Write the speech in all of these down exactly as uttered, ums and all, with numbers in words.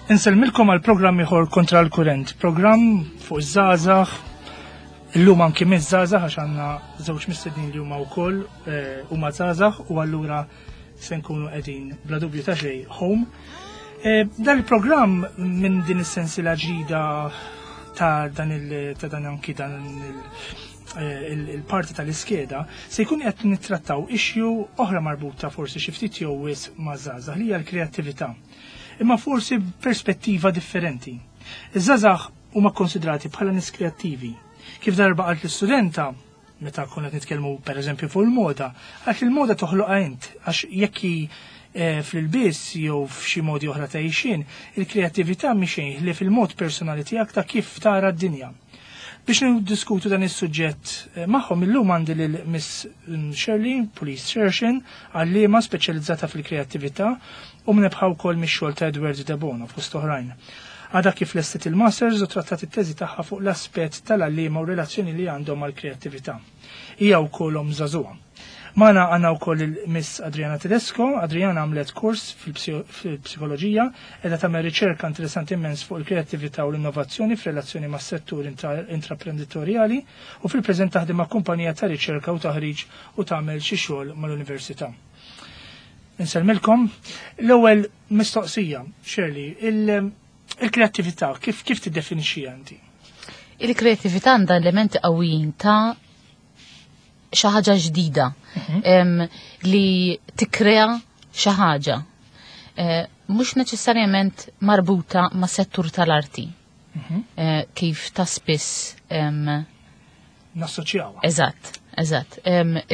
Insellmilkom għal programm ieħor Kontra l-Kurrent, programm fuq iż-żgħażagħ, illum anki miż-żgħażagħ għax għandna żewġ mistednin li huma wkoll eh, huma żgħażagħ u allura se nkunu qegħdin bla dubju ta' xejn home. Eh, dan il-programm minn din is-sensila ġdida ta' dan il ta' dan anki dan il eh, il-parti tal-iskeda se jkun qed nittrattaw issue oħra marbuta forsi xi ftit jew wisq ma' żgħażagħ li hija l-kreattività imma forsi perspettiva differenti. Iż-żgħażagħ huma konsidrati bħala nies kreattivi. Kif darba qalt l-istudenta, meta konna nitkellmu per eżempju fuq il-moda, għax il-moda toħloqha int, għax jekk eh, fl-ilbies jew f'xi modi oħra ta' għixien, il-kreattività mhi xejn li fil-mod personali tiegħek ta' kif tara d-dinja. Biex niddiskutu dan is-suġġett eh, magħhom illum għandi lil Miss Shirley Police Shershin, għalliema speċjalizzata fil-kreattività u mnebbħa wkoll mix-xogħol ta' Edward de Bono fost oħrajn. Għadha kif lestet il-Masters u trattat it-teżi tagħha fuq l-aspett tal-għalliema u relazzjoni li għandhom mal-kreattività. Hija wkoll omm żagħżugħa. Magħna għandna wkoll il-Miss Adriana Tedesco. Adriana għamlet kors fil-psikoloġija, qiegħda tagħmel riċerka interessanti immens fuq il-kreattività u l-innovazzjoni f'relazzjoni mas-settur intraprenditorjali u fil-preżent taħdem ma' kumpanija ta' riċerka u taħriġ u tagħmel xi xogħol mal-università. Insellmilkom. L-ewwel mistoqsija, Shirley, il-kreattività kif kif tiddefinixxi inti? Il-kreattività għandha elementi qawwijin ta' xi ħaġa ġdida mhm. li tikkrea xi ħaġa. Eh, mhux neċessarjament marbuta ma' settur tal-arti. Mhm. Eh, kif ta' spiss nassoċjawha. Eżatt, eżatt.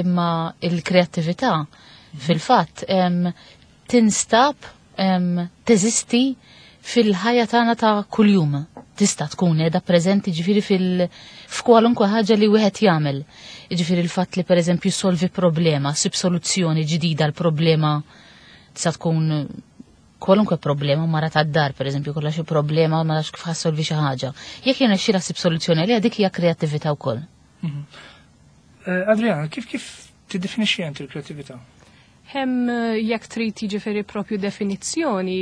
Imma il-kreattività mhm. fil-fatt tinstab teżisti fil-ħajja tagħna ta' kuljum. Tista' tkun qiegħda preżenti ġifieri fil f'kwalunkwe ħaġa li wieħed jagħmel. Ġifieri il-fatt li pereżempju solvi problema, sib soluzzjoni ġdida l problema tista' tkun kwalunkwe problema mara tad-dar, pereżempju, kollha xi problema ma nafx kif ħa ssolvi xi ħaġa. Jekk jirnexxilha ssib soluzzjoni għaliha dik hija kreattività wkoll. Mhm. Eh, Adriana, kif kif tiddefinixxi inti l-kreattività? Hemm eh, jekk trid jiġifieri propju definizzjoni,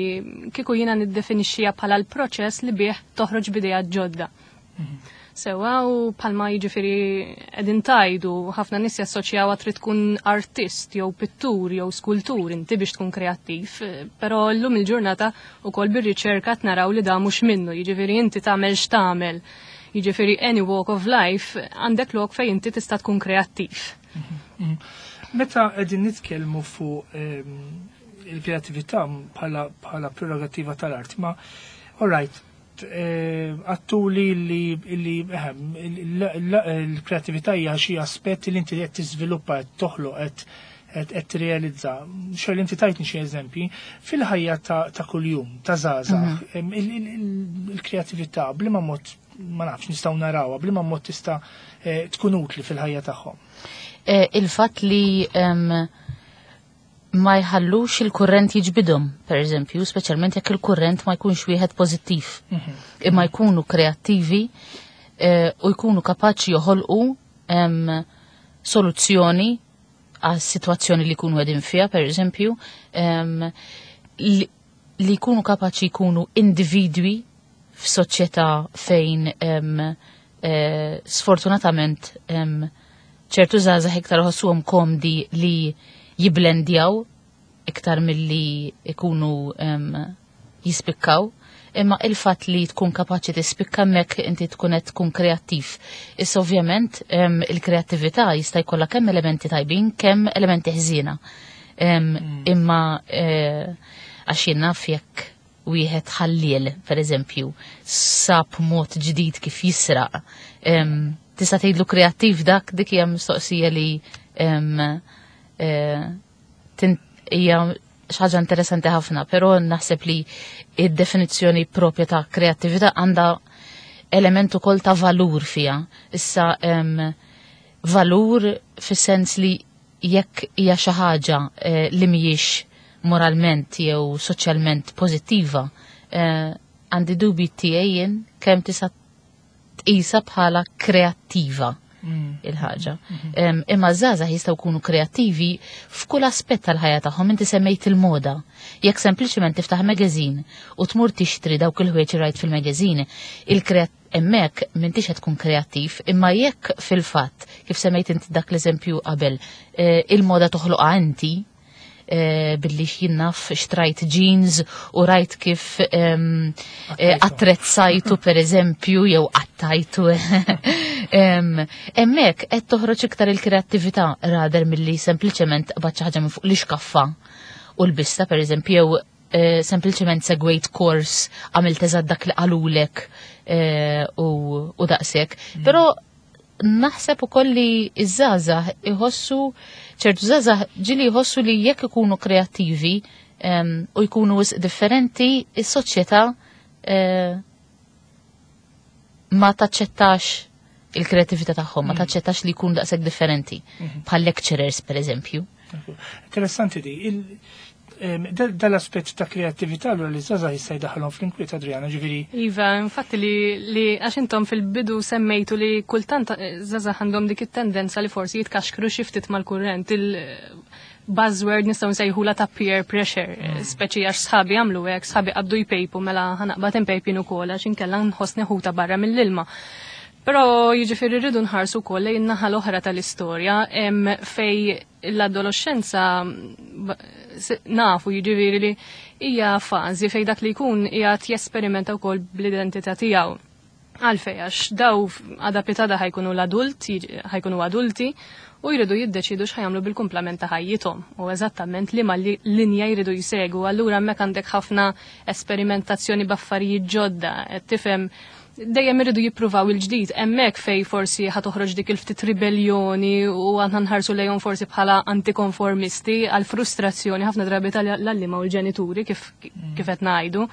kieku jiena niddefinixxiha bħala l-proċess li bih toħroġ b'idea ġodda. Mhm. Sewa u palma jiġifieri qegħdin tgħidu ħafna nies jassoċjawha trid tkun artist jew pittur jew skultur inti biex tkun kreattiv, però llum il-ġurnata ukoll bir-riċerka naraw li da mhux minnu, jiġifieri inti tagħmel x'tagħmel. Jiġifieri any walk of life għandek lok fejn inti tista' tkun kreattiv. Mhm, mhm. Meta qegħdin nitkellmu fuq ehm, il-kreattività bħala prerogativa tal-art, ma all right, eh, għedtuli li l-kreattività hija xi aspett li inti qed tiżviluppa qed toħloq qed qed tirrealizza. Xogħol inti tajtni xi eżempji fil-ħajja ta' kuljum, ta' żgħażagħ, mhm. il-kreattività b'liema mod ma nafx nistgħu narawha, b'liema mod tista' eh, tkun utli fil-ħajja tagħhom. Eh, il-fatt li ma jħallux il-kurrent jiġbidhom, per eżempju, speċjalment jekk il-kurrent ma jkunx wieħed pożittiv. Mhm. Imma jkunu kreattivi eh, u jkunu kapaċi joħolqu soluzzjoni għas situazzjoni li jkunu qegħdin fiha, per eżempju, li jkunu kapaċi jkunu individwi f'soċjetà fejn eh, sfortunatament ċertu żgħażagħ iktar ħossuhom komdi li jiblendjaw iktar milli ikunu jispikkaw. Imma il-fatt li tkun kapaċi tispikka mek inti tkun qed tkun kreattiv. Issa ovvjament il-kreattività jista' jkollha kemm elementi tajbin, kemm elementi ħżiena. Mm. Imma eh, għax jien naf jekk wieħed ħalliel, per eżempju, sab mod ġdid kif jisraq. Tista' tgħidlu kreattiv dak dik hija mistoqsija li eh, hija xi ħaġa interessanti ħafna, però naħseb li id-definizzjoni propja ta' kreattività għandha element ukoll ta' valur fija. Issa valur fis-sens li jekk hija xi ħaġa eh, li mhijiex moralment jew soċjalment pożittiva, eh, għandi dubi tiegħi jien kemm tista' tqisha bħala kreattiva. Il-ħaġa. Em, Imma żgħażagħ jistgħu jkunu kreattivi f'kull aspett tal-ħajja tagħhom. Inti semmejt il-moda. Jekk sempliċement tiftaħ magazine u tmur tixtri dawk il-ħwejjeġ rajt fil-magazine, il-kreat hemmhekk m'intix qed tkun kreattiv, imma jekk fil-fatt, kif semmejt inti dak l-eżempju qabel, eh, il-moda toħloqha inti, eh, billi jien naf xtrajt jeans u rajt kif em, eh, attrezzajtu per eżempju jew qattajtu. Em, Hemmhekk qed toħroġ iktar il-kreattività rather milli sempliċement qbadt xi ħaġa minn fuq l-iskaffa u l-bista per eżempju jew eh, sempliċement segwejt kors, għamilt eżatt dak li qalulek eh, u, u daqshekk. Però naħseb ukoll li iż-żgħażagħ iħossu, ċertu żgħażagħ ġieli jħossu li jekk ikunu kreattivi em, u jkunu wisq differenti, is-soċjetà eh, ma taċċettax il-kreattività tagħhom, ma taċċettax li jkunu daqshekk differenti. Bħal lecturers per eżempju. Interessanti di. il- em, dal- Dal-aspett ta' kreattività allura li żgħażagħ jista' jdaħħalhom fl-inkwiet, Adriana, ġifieri. Iva, infatti li, li għax intom fil-bidu semmejtu li kultant eh, żgħażagħ għandhom dik it-tendenza li forsi jitkaxkru xi ftit mal-kurrent. Il-buzzword nistgħu nsejħula ta' peer pressure, mm. speċi għax sħabi għamlu hekk, sħabi qabdu jpejpu, mela ħa naqbad inpejp jien ukoll għax inkella nħossni ħuta barra mill-ilma. Però jiġifieri rridu nħarsu wkoll lejn naħa l-oħra tal-istorja em, fej l-adolescenza b- s- nafu jiġifieri li hija fażi fej dak li jkun qiegħed jesperimenta wkoll bl-identità tiegħu. Għalfej, għax daw għada pitgħada ħa jkunu l-adult, ħa jkunu adulti u jridu jiddeċidu x'ħa jagħmlu bil-kumplament ta' ħajjithom u eżattament liema li linja jridu jsegu. Allura hemmhekk għandek ħafna esperimentazzjoni b'affarijiet ġodda, qed tifhem, dejjem iridu jippruvaw il-ġdid, hemmhekk fej forsi ħa toħroġ dik il-ftit ribellioni u għandna nħarsu lejhom forsi bħala antikonformisti għal frustrazzjoni ħafna drabi tal-għalliema u l-ġenituri, kif kif qed ngħidu.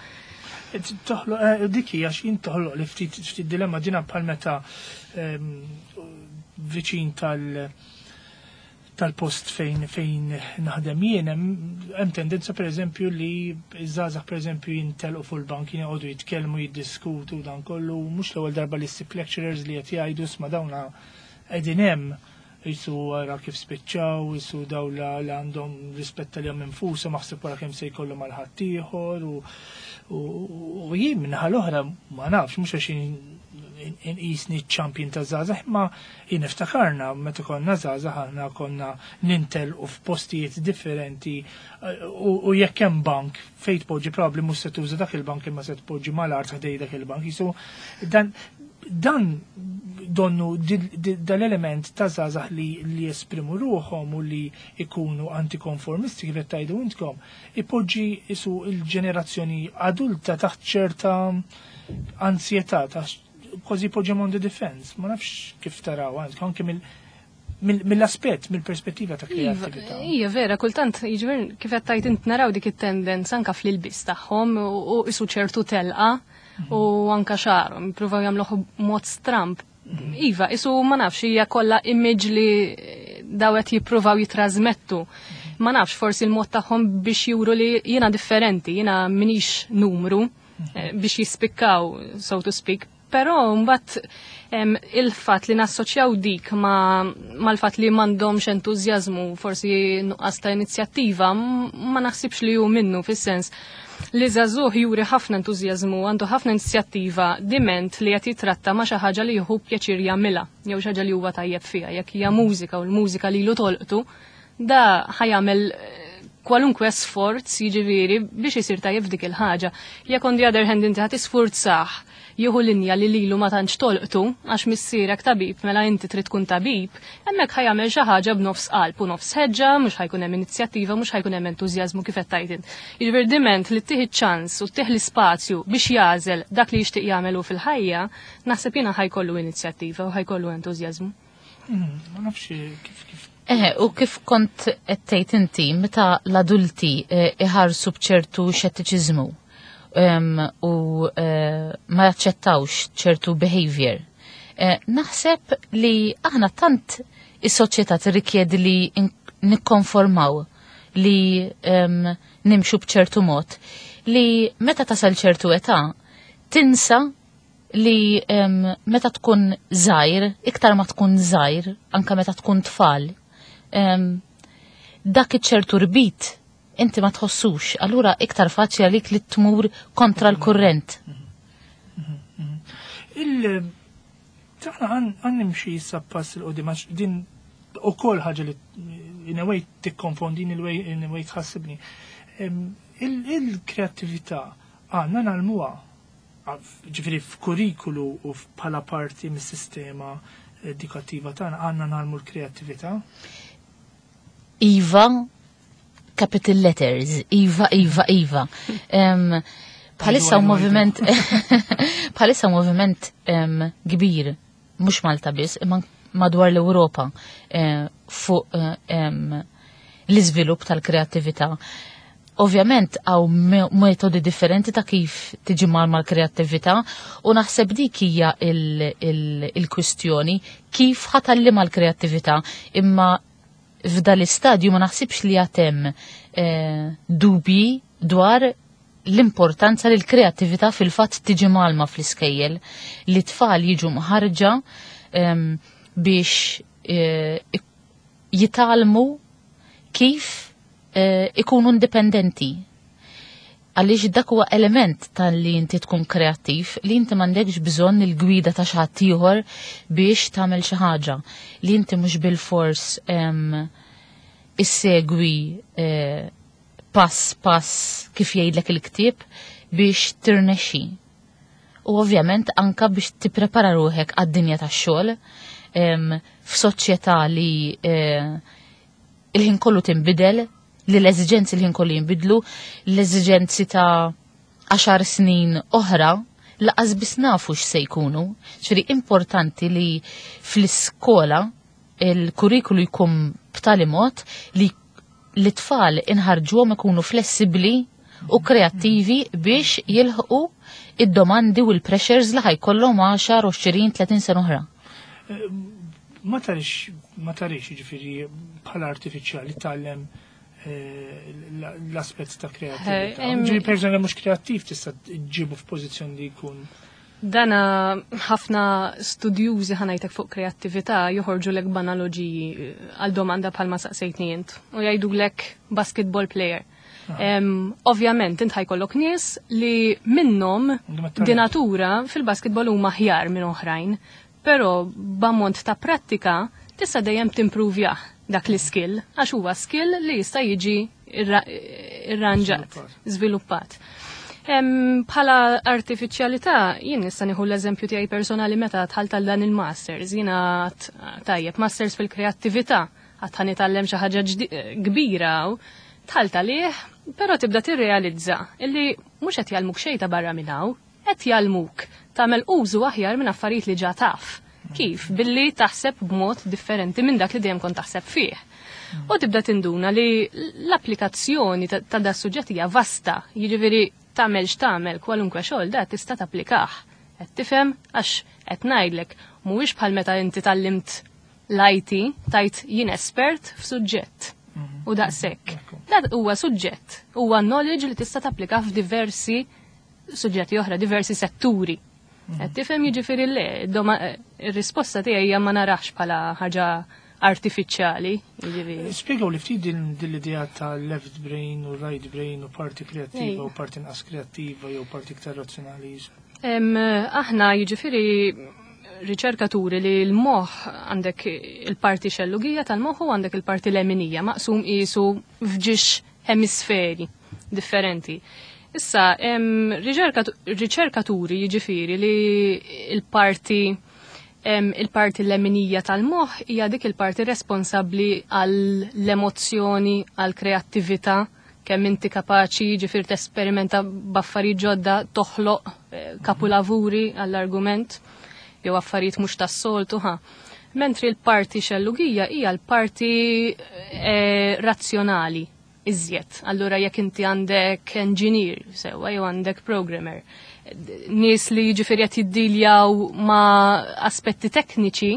Toħloq, eh, dik hija x'in toħloq li ftit ftit dilemma dina, bħal meta ehm, viċin tal- tal-post fejn fejn naħdem jien hemm hemm tendenza pereżempju li iż-żgħażagħ pereżempju jintelqu fuq il-bank, joqogħdu jitkellmu, jiddiskutu dan kollu. Mhux l-ewwel darba li ssib lecturers li qed jgħidu, "Sma', dawna qegħdin hemm jisu wara kif spiċċaw, jisu daw la li għandhom rispetta li għam infushom, maħseb wara kemm se jkollhom għal ħaddieħor." u u u jien minnaħa l-oħra ma nafx, mhux għax inqisni champion ta' żgħażagħ, imma jien niftakarna meta konna żgħażagħ aħna konna nintelqu f'postijiet differenti u u jekk hemm bank fejn tpoġġi, probabbli mhux se tuża dak il-bank imma se tpoġġi mal-art ħdej dak il-bank. Jisu dan dan donnu dal-element ta' żgħażagħ li, li jesprimu ruħhom u li ikunu antikonformisti, kif qed tgħidu intkom, ipoġġi isu il-ġenerazzjoni adulta taħt ċerta ansjetà, taħt kważi poġġi on the defense. Ma nafx kif taraw anke mill mill-aspett, mill-perspettiva ta' kreattività. Ija vera, kultant, jiġifieri kif qed tgħid int naraw dik it-tendenza anka fl-ilbis tagħhom u isu ċertu telqa u anka xagħarhom, jippruvaw jagħmluh mod stramp. Iva, isu ma nafx, hija kollha image li daw qed jippruvaw jitrażmettu. Ma nafx, forsi l-mod tagħhom biex juru li jiena differenti, jiena minix numru, eh, biex jispikkaw, so to speak. Però mbagħad il-fatt li nassoċjaw dik ma mal-fatt li m'għandhomx entużjażmu, forsi nuqqas ta' inizjattiva, ma naħsibx li hu minnu, fis-sens li żagħżugħ juri ħafna entużjażmu, għandu ħafna inizjattiva, diment li qed jitratta ma' xi ħaġa li jieħu pjaċir jagħmilha jew xi ħaġa li huwa tajjeb fiha. Jekk hija mużika u l-mużika lilu tolqtu, da ħa jagħmel kwalunkwe sforz jiġifieri biex isir tajjeb f'dik il-ħaġa. Jekk on the other hand inti ħa tisfurzah jieħu linja li lilu ma tantx tolqtu għax missierek tabib mela inti trid tkun tabib, hemmhekk ħa jagħmel xi ħaġa b'nofs qalb u nofs ħeġġa, mhux ħa jkun hemm inizjattiva, mhux ħa jkun hemm entużjażmu kif qed tgħid int. Jiġifieri diment li ttih ċans u ttih l-ispazju biex jagħżel dak li jixtieq jagħmel fil-ħajja, naħseb jiena ħa jkollu inizjattiva u ħa jkollu entużjażmu. Hmm, ma nafx kif kif Eħe, u kif kont qed tgħid inti, meta l-adulti eh, iħarsu b'ċertu xettiċiżmu u eh, ma jaċċettawx ċertu behavior, eh, naħseb li aħna tant is-soċjetà tirrikjedi li nikkonformaw, li nimxu b'ċertu mod, li meta tasal ċertu età tinsa li em, meta tkun żgħir, iktar ma tkun żgħir, anka meta tkun tfal, em, dak iċ-ċertu rbit inti ma tħossux, allura iktar faċli għalik li tmur kontra l-kurrent. Il Taħna għan nimxi issa pass 'il quddiem, għax din ukoll ħaġa li in a way tikkonfondini, in a way in a way tħassibni. Em, il- Il-kreattività għandna ngħallmuha, ġifieri f'kurrikulu u bħala parti mis-sistema edukattiva tagħna, għandna ngħallmu l-kreattività? Iva, capital letters, Iva, Iva, Iva. Em, Bħalissa Iva, Iva, moviment, bħalissa moviment em, kbir, mhux Malta biss, imma madwar l-Ewropa, eh, fuq eh, em, l-iżvilupp tal-kreattività. Ovvjament hawn me- metodi differenti ta' kif tiġi mal mal-kreattività u naħseb dik hija il-kwistjoni kif ħa tgħallimha l-kreattività, imma f'dal istadju ma naħsibx li għad hemm eh, dubji dwar l-importanza li l-kreattività fil-fatt tiġi mgħallma fl-iskejjel, li tfal jiġu mħarġa em, biex eh, ik- jitgħallmu kif eh, ikunu indipendenti. Għaliex dak huwa element tal-li inti tkun kreattiv, li inti m'għandekx bżonn il-gwida ta' xi ħadd ieħor biex tagħmel xi ħaġa, li inti mhux bil-fors em, issegwi eh, pass pass kif jgħidlek il-ktieb biex tirnexxi. U ovvjament anka biex tipprepara ruħek għad-dinja tax-xogħol em, f'soċjetà li eh, il-ħin kollu tinbidel, li l-eżiġenzi l-ħin kollu jinbidlu, l-eżiġenzi ta' għaxar snin oħra, lanqas biss nafu x'se jkunu. Ġifieri importanti li fl-iskola il-kurrikulu jkun b'tali mod li l-tfal inħarġuhom ikunu flessibli u kreattivi biex jilħqu id-domandi u l-pressures li ħa jkollhom għaxar, għoxrin, tletin sena oħra. Ma tarix, ma tarix ġifieri bħala artifiċjali tgħallem eh, l-aspett ta' kreattività. Eh, em- Ġifieri persona mhux kreattiv tista' ġġibu f'pożizzjoni li jkun Dana ħafna studjużi, ħa ngħidlek, fuq kreattività joħorġu lek b'analoġiji eh, għal domanda bħalma saqsejtni int u jgħidu lek basketball player. Em, Ovvjament, int ħa jkollok nies li minnhom Għandhom it-talent. di natura fil-basketball huma aħjar minn oħrajn, però b'ammont ta' prattika tista' dejjem timpruvjah dak l-skill, għax huwa skill li jista' jiġi irra- irranġat, Żviluppat. żviluppat. Em, Bħala artifiċjalità, jien nista' nieħu l-eżempju tiegħi personali meta dħalt għal dan il-masters. Jiena għedt, tajjeb, masters fil-kreattività, għedt ħa nitgħallem xi ħaġa ġdi- kbira u dħalt għalih, però tibda tirrealizza illi mhux qed jgħallmuk xejn ta' barra minn hawn, qed jgħallmuk tagħmel użu aħjar minn affarijiet li ġa taf. Kif? Billi taħseb b'mod differenti minn dak li dejjem kont taħseb fih. U tibda tinduna li l-applikazzjoni ta' ta' da suġġett hija vasta, jiġifieri tagħmel x'tagħmel, kwalunkwe xogħol da tista' tapplikah. Qed tifhem? Għax qed ngħidlek mhuwiex bħal meta inti tgħallimt l-I T tgħid jien espert f'suġġett. U daqshekk. Dat huwa suġġett, huwa knowledge li tista' tapplika f'diversi suġġetti oħra, diversi setturi. Qed tifhem? Jiġifieri le, doma- ir-risposta tiegħi hija ma narax bħala ħaġa artifiċjali, jiġifieri. Spiegaw li ftit din din l-idea ta' left brain u right brain u parti kreattiva Ej. u parti inqas kreattiva jew parti iktar razzjonali. Em, aħna jiġifieri riċerkaturi li l-moħ għandek il-parti xellugija tal-moħ u għandek il-parti leminija maqsum qisu f'ġiex hemisferi differenti. Issa, em, riċerkatu- riċerkaturi jiġifieri li il-parti em, il-parti leminija tal-moħ hija dik il-parti responsabbli għall-emozzjoni, għall-kreattività, kemm inti kapaċi ġifieri tesperimenta b'affarijiet ġodda, toħloq eh, kapulavuri għall-argument jew affarijiet mhux tas-soltu ħa. Mentri l-parti xellugija hija l-parti eh, razzjonali iżjed. Allura jekk inti għandek engineer sewwa jew għandek programmer, nies li jiġifieri qed jiddiljaw ma' aspetti tekniċi,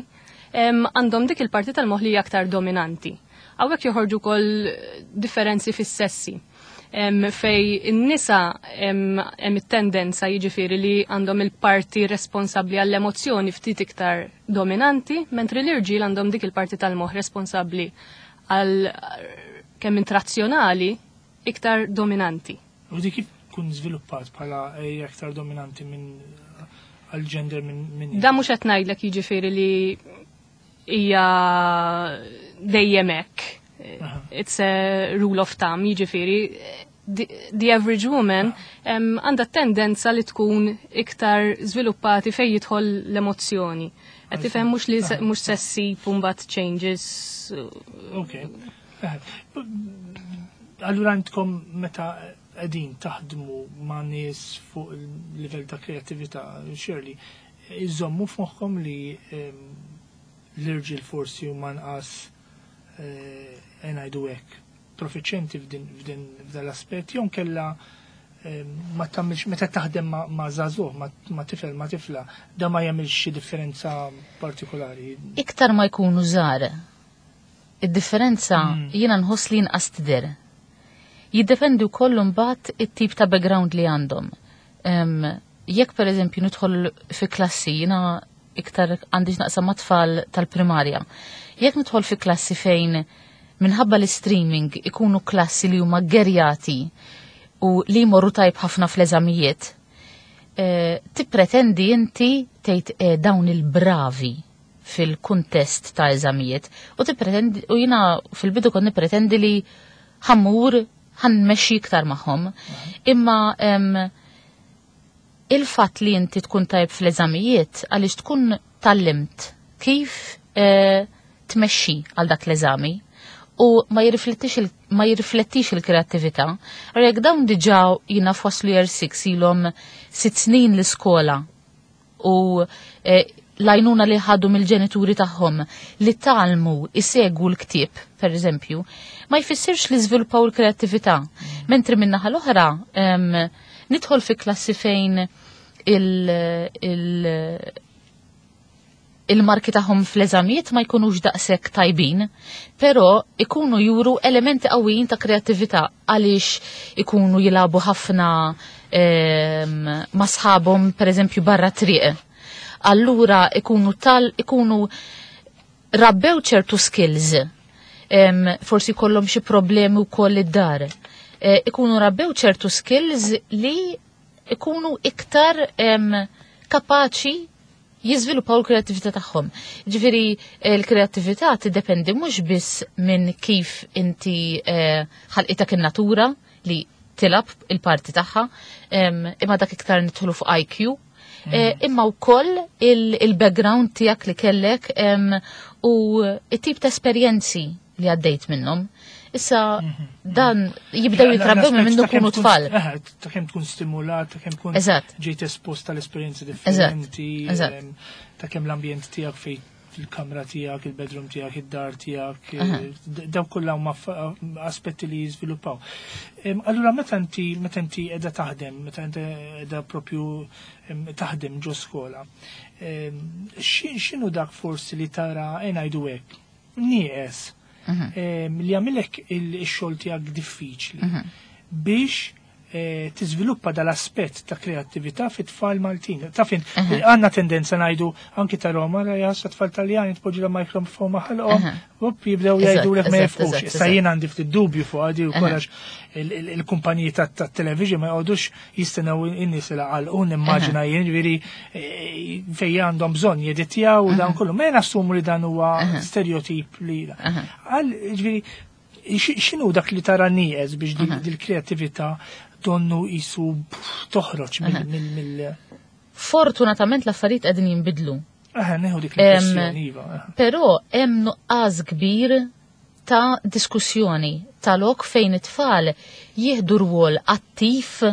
em, għandhom dik il-parti tal-moħ li hija aktar dominanti. Hawnhekk joħorġu wkoll differenzi fis-sessi. Fejn in-nisa hemm it-tendenza, jiġifieri, li għandhom il-parti responsabbli għall-emozzjoni ftit iktar dominanti, mentri l-irġiel għandhom dik il-parti tal-moħħ responsabbli għal kemm intrazzjonali iktar dominanti. U dik kif tkun żviluppat bħala aktar dominanti minn għal-gender minn min Da mhux qed ngħidlek, jiġifieri, li hija dejjem hekk. It's a rule of thumb, jiġifieri the, the average woman għandha tendenza li tkun iktar żviluppati fejn jidħol l-emozzjoni. Qed tifhem, mhux li mhux se ssib mbagħad changes. Ok. Allura għandkom, meta qegħdin taħdmu ma' nies fuq il-livell ta' kreatività, Shirley, iżommu f'moħħkom li l-irġiel forsi huma nqas, eh, ngħidu hekk, profiċenti f'din f'dan l-aspett, jew kella ma tagħmilx, meta taħdem ma' żagħżugħ, ma' tifel, ma' tifla, da ma jagħmilx xi differenza partikolari? Iktar ma jkunu żgħar, id-differenza mm. jiena nħoss li inqas tidher. Jiddependi wkoll mbagħad it-tip ta' background li għandhom. Jekk per eżempju nidħol fi klassi, jiena iktar għandi naqsam ma' tfal tal-primarja. Jekk nidħol fi klassi fejn minħabba l-streaming ikunu klassi li huma gerjati u li jmorru tajb ħafna fl-eżamijiet, eh, tippretendi inti tgħid eh, dawn il-bravi fil-kuntest ta' eżamijiet u tippretendi, u jiena fil-bidu kont nippretendi li ħa mmur ħa nmexxi iktar magħhom. Imma il-fatt li inti tkun tajb fl-eżamijiet għaliex tkun tgħallimt kif eh, tmexxi għal dak l-eżami u ma jirriflettix il- ma jirriflettix il-kreattività. Jekk dawn diġà jiena f'waslu year six, ilhom sitt snin l-iskola u eh, l-għajnuna li ħadu mill-ġenituri tagħhom li tgħallmu isegwu l-ktieb, per eżempju, ma jfissirx li żviluppaw il-kreattività. Mentri min-naħa l-oħra, em, nidħol fi klassi fejn il- il- il-marki tagħhom fl-eżamijiet ma jkunux daqshekk tajbin, però ikunu juru elementi qawwijin ta' kreattività għaliex ikunu jilagħbu ħafna em, ma' sħabhom, per eżempju, barra triq. Allura ikunu tal ikunu rabbew ċertu skills, em, forsi kollhom xi problemi wkoll id-dar. E, ikunu rabbew ċertu skills li ikunu iktar em, kapaċi jiżviluppaw l-kreattività tagħhom. Ġifieri l-kreattività tiddependi mhux biss minn kif inti eh, ħalqitek in-natura, li tilgħab il-parti tagħha, em, imma dak iktar nidħlu fuq I Q, eh, imma wkoll il-background tiegħek li kellek em, u it-tip ta' esperjenzi li għaddejt minnhom. Issa dan jibdew jitrabbew minn mindu kunu tfal. Eh, ta' kemm tkun stimulat, ta' kemm tkun Eżatt. ġejt espost tal-esperjenzi differenti, Eżatt. em, ta' kemm l-ambjent tiegħek, fej fil-kamra tiegħek, il-bedroom tiegħek, id-dar tiegħek, Aha. eh, d- daw kollha huma fa- aspetti li jiżviluppaw. Em, Allura meta inti meta inti qiegħda taħdem, meta inti qiegħda propju em, taħdem ġo skola, em, xi- x'inhu dak forsi li tara, e ngħidu hekk, nieqes em, li jagħmilek il-xogħol tiegħek diffiċli biex eh, tiżviluppa dal-aspett ta' kreattività fit-tfal Maltin? Ta' fin, għandna tendenza ngħidu anki ta' Roma, ra tfal Taljani tpoġġi la mikrofon ma' ħalqhom, up jibdew Eżatt, jgħidu lek ma eżatt, jifhmux. eżatt, Issa eżatt. jien għandi ftit dubju fuq għadi u għax il-kumpaniji tat-television ma jgħodux jistennew in-nies li għalqu, nimmaġina jien, ġifieri eh, fejn għandhom bżonn jeditjaw u dan kollu. Ma nassumu li dan huwa stereotip li għal, ġifieri, x'inhu dak li tara nieqes biex dil-kreattività donnu jisu toħroġ mill mill Fortunatament l-affarijiet qegħdin jinbidlu. Aha, neħu dik l-impressjoni, iva. Però hemm nuqqas kbir ta' diskussjoni ta' lok fejn it-tfal jieħdu rwol attiv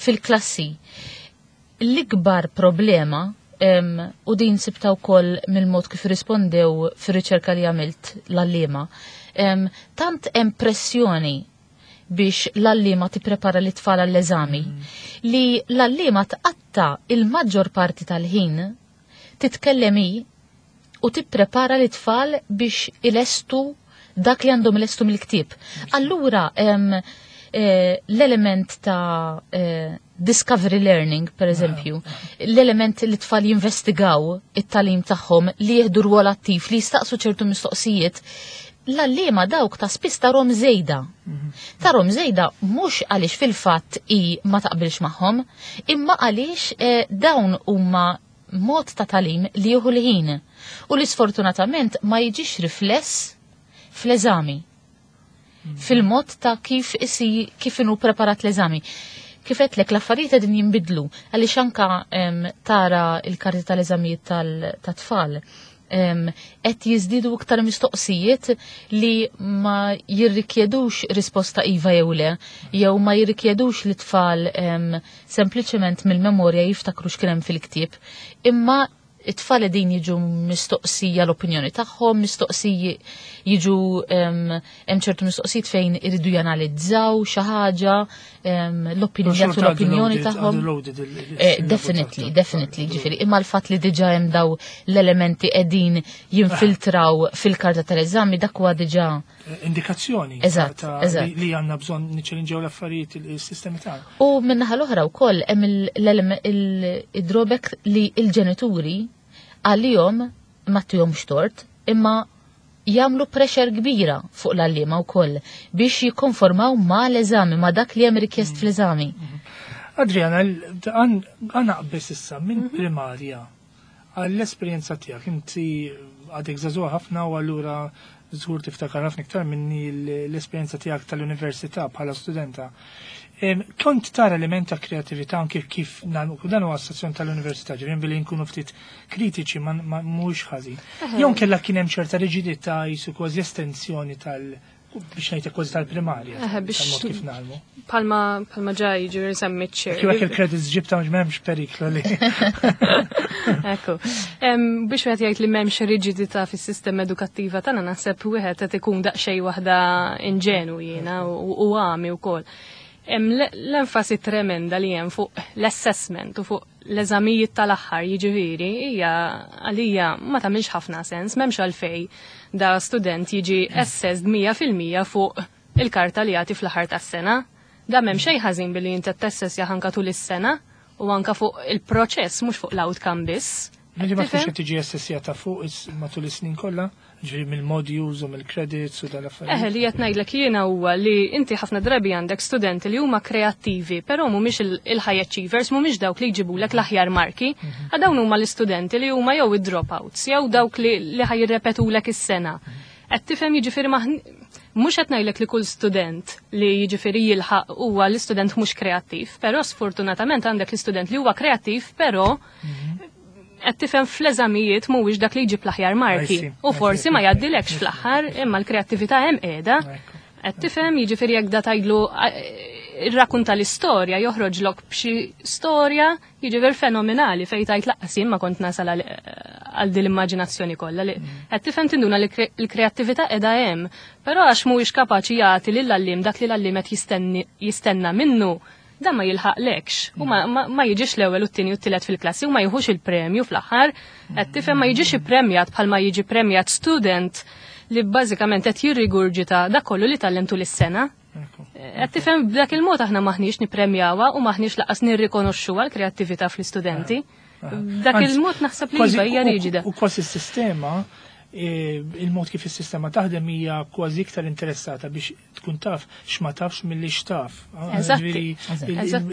fil-klassi. L-ikbar problema, em, u din sibta wkoll mill-mod kif rispondew fir-riċerka li għamilt l-għalliema, em, tant hemm pressjoni biex l-għalliema tipprepara l-tfal għall-eżami li l-għalliema tqatta il-maġġor parti tal-ħin titkellem hi u tipprepara l-tfal biex ilestu dak li għandhom ilestu mill-ktieb. Allura, em, eh, l-element ta' eh, discovery learning, per eżempju, l-element li tfal jinvestigaw it-tagħlim tagħhom, li jieħdu rwol attiv, li jistaqsu ċertu mistoqsijiet, l-għalliema dawk ta' spiss tarahom żejda. Tarahom żejda mhux għaliex fil-fatt i ma taqbilx magħhom, imma għaliex eh, dawn huma mod ta' tagħlim li jieħu l-ħin u li sfortunatament ma jiġix rifless fl-eżami. Fil-mod ta' kif isi kif inhu preparat l-eżami. Kif għedtlek, l-affarijiet qegħdin jinbidlu għaliex anka em, tara il-karti tal-eżamijiet tal-tfal qed jiżdiedu iktar mistoqsijiet li ma jirrikjedux risposta iva jew le, jew ma jirrikjedux li tfal em, sempliċement mill-memorja jiftakru x'kien hemm fil-ktieb, imma it-tfal din jiġu mistoqsija l-opinjoni tagħhom, mistoqsiji jiġu hemm ċertu mistoqsijiet fejn iridu janalizzaw xi ħaġa, l-opinjoni jagħtu l-opinjoni tagħhom. Eh, definitely, definitely, ġifieri, imma l-fatt li diġà hemm daw l-elementi qegħdin jinfiltraw fil-karta tal-eżami, dak huwa diġà indikazzjoni Eżatt, eżatt. li għandna bżonn niċċellinġaw l-affarijiet, il-sistemi tagħna. U min-naħa l-oħra wkoll hemm il-drawback li l-ġenituri għalihom ma tihomx tort, imma jagħmlu pressure kbira fuq l-għalliema wkoll biex jikkonformaw ma l-eżami, ma dak li hemm rikjest fl-eżami. Adriana, għana qbis issa minn primarja għall-esperjenza tiegħek, inti għadek żagħżugħa ħafna u allura żgur tiftakar ħafna iktar minni l-esperjenza tiegħek tal-università bħala studenta. Kont tara element ta' kreatività anke kif dan huwa stazzjon tal-università, ġifieri billi nkunu ftit kritiċi ma mhux ħażin. Jew kellha kien hemm ċerta riġidità, jisu kważi estensjoni tal- biex ngħid kważi tal-primarja. Biex kif nagħmlu. Palma palma ġaj ġifieri semmi ċer. Kif il-credits ġibta, mhux m'hemmx periklu li. Ekku. Biex wieħed jgħid li m'hemmx riġidità fis-sistema edukattiva tagħna, naħseb wieħed qed ikun daqsxejn waħda inġenu jiena u għami wkoll. L-enfasi tremenda li hemm fuq l-assessment u fuq l-eżamijiet tal-aħħar, jiġifieri, hija għalija ma tagħmilx ħafna sens. M'hemmx għalfej da student jiġi assessed mija fil-mija fuq il-karta li jagħti fl-aħħar tas-sena. Da m'hemm xejn ħażin billi inti tassessja anka tul is-sena u anka fuq il-proċess, mhux fuq l-outcome biss. Ġi ma tkunx qed tiġi assessjata fuq matul is-snin kollha, ġifieri mill-modules u mill-credits u dal-affarijiet. Eħe, li qed ngħidlek jiena huwa li inti ħafna drabi għandek studenti li huma kreattivi, però mhumiex il-high achievers, mhumiex dawk li jġibulek l-aħjar marki. Mhm. Dawn huma l-istudenti li huma jew id-dropouts, jew dawk li li ħa jirrepetulek is-sena. Qed tifhem? Jiġifieri mhux qed ngħidlek li kull student li jiġifieri jilħaq huwa l-istudent mhux kreattiv, però sfortunatament għandek l-istudent li huwa kreattiv, però mhm. qed tifhem, fl-eżamijiet mhuwiex dak li jġib l-aħjar marki. U forsi ma jgħaddilekx fl-aħħar, imma l-kreattività hemm qiegħda. Qed tifhem? Jiġifieri jekk da tgħidlu irrakunta l-istorja, joħroġlok b'xi storja jiġifieri fenomenali fejn tajt lanqas jien ma kont nasal għal din l-immaġinazzjoni kollha li mm. qed tifhem, tinduna li l-kreattività qiegħda hemm, però għax mhuwiex kapaċi jagħti lill-għalliem dak li l-għalliem qed jistenna minnu, dan ma jilħaqlekx u ma, ma, ma jiġix l-ewwel u t-tieni u t-tielet fil-klassi u ma jieħux il-premju fl-aħħar. Qed tifhem? Ma jiġix ippremjat bħalma jiġi premjat student li bażikament qed jirrigurġita dak kollu li tgħallem tul is-sena. Qed tifhem? B'dak il-mod aħna maħniex nippremjawha u maħniex lanqas nirrikonoxxuha l-kreattività fl-istudenti. B'dak il-mod naħseb li hija riġida. U kważi s-sistema, e, il-mod kif is-sistema taħdem hija kważi iktar interessata biex tkun taf x'ma tafx milli x'taf.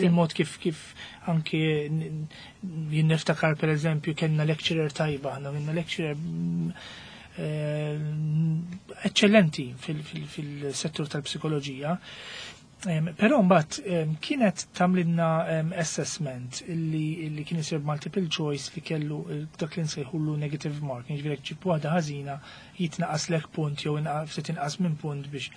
Il-mod kif kif anke jien niftakar, per eżempju, kellna lecturer tajba, aħna kellna lecturer mm, eh, eccellenti fil-settur tal-psikoloġija. Però mbagħad kienet tagħmlilna assessment illi kien isir multiple choice li kellu dak li nsejħullu negative mark, jiġifieri ġib waħda ħażina jitnaqaslek punt jew ftit inqas minn punt biex.